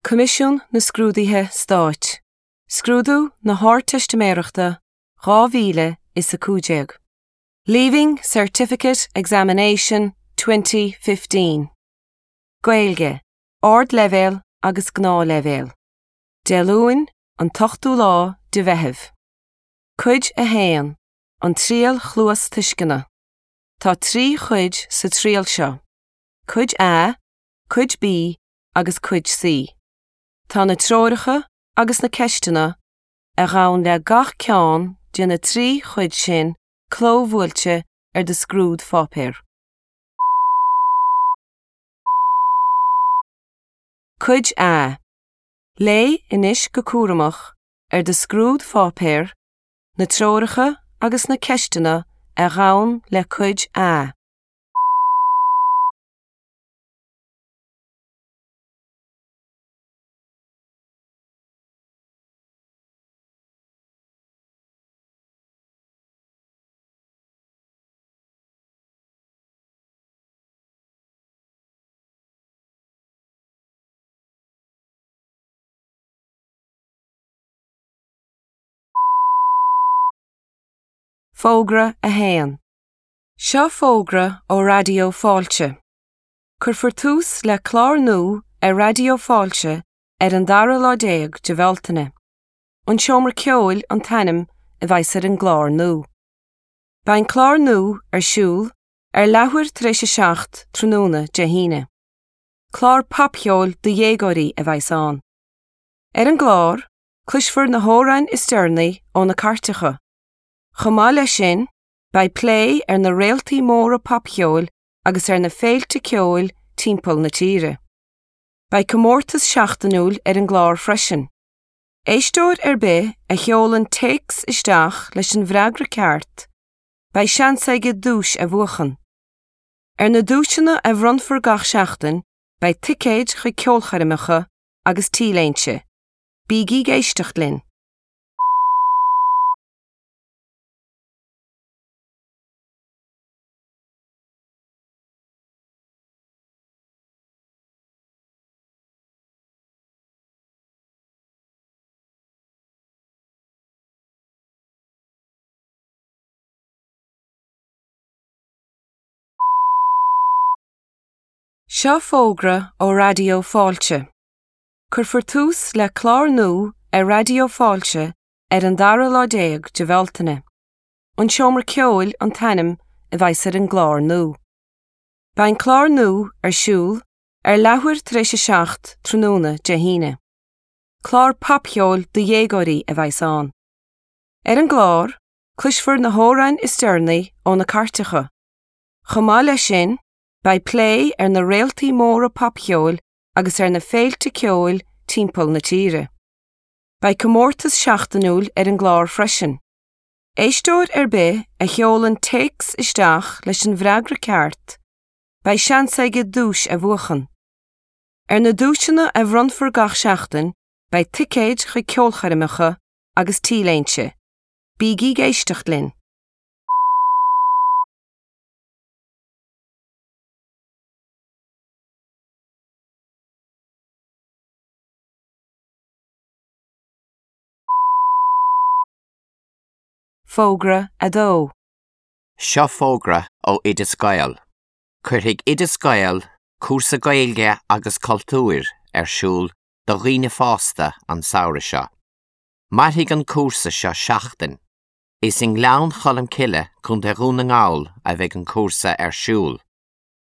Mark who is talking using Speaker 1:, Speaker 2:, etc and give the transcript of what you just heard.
Speaker 1: Coimisiún na Scrúduithe Stáit, Scrúdú na hArdteistiméireachta 2015. Leaving Certificate Examination 2015. Gaeilge, Ardleibhéal agus Gnáthleibhéal. Dé Luain, an t-ochtú lá de Mheitheamh. Cuid 1, An Triail Chluastuisceana. Tá 3 chuid sa triail seo, Cuid A, Cuid B agus Cuid C. Tá na treoracha agus na ceisteanna a ghabhann le gach ceann de na 3 chuid sin clóbhuailte ar do scrúdpháipéar. Cuid A. Léigh anois go cúramach ar do scrúdpháipéar na treoracha agus na ceisteanna a ghabhann le Cuid A. Fógra 1. Seo fógra ó Raidió Fáilte. Cuirfear tús le clár nua ar Raidió Fáilte ar an dara lá déag de Bhealtaine. An Seomra Ceoil an t-ainm a bheas ar an gclár nua. Beidh an clár nua ar siúl ar leathuair tar éis a 7 tráthnóna Dé hAoine. Clár popcheoil do dhéagóirí a bheas ann. Ar an gclár, cloisfear na hamhráin is deireanaí ó na cairteacha. Chomh maith leis sin, beidh plé ar na réaltaí móra popcheoil agus ar na féilte ceoil timpeall na tíre. Beidh comórtas seachtainiúil ar an gclár freisin. Éisteoir ar bith a sheolann téacs isteach leis an bhfreagra ceart, beidh seans aige duais a bhuachan. Ar na duaiseanna a bhronnfar gach seachtain beidh ticéid chuig ceolchoirmeacha agus t-léinte. Bígí ag éisteacht linn! Seo fógra ó Raidió Fáilte. Cuirfear tús le clár nua ar Raidió Fáilte ar an dara lá déag de Bhealtaine. An Seomra Ceoil an t-ainm a bheas ar an gclár nua. Beidh an clár nua ar siúl ar leathuair tar éis a 7 tráthnóna Dé hAoine. Clár popcheoil do dhéagóirí a bheas ann. Ar an gclár, cloisfear na hamhráin is deireanaí ó na cairteacha. Chomh maith leis sin, beidh plé ar na réaltaí móra popcheoil agus ar na féilte ceoil timpeall na tíre. Beidh comórtas seachtainiúil ar an gclár freisin. Éisteoir ar bith a sheolann téacs isteach leis an bhfreagra ceart, beidh seans aige duais a bhuachan. Ar na duaiseanna a bhronnfar gach seachtain beidh ticéid chuig ceolchoirmeacha agus t-léinte. Bígí ag éisteacht linn! Fógra 2.
Speaker 2: Seo fógra ó Oideas Gael. Cuirfidh Oideas Gael cúrsa Gaeilge agus Cultúir ar siúl do dhaoine fásta an samhradh seo. Mairfidh an cúrsa seo seachtain. Is i nGleann Cholm Cille, Contae Dhún na nGall a bheidh an cúrsa ar siúl.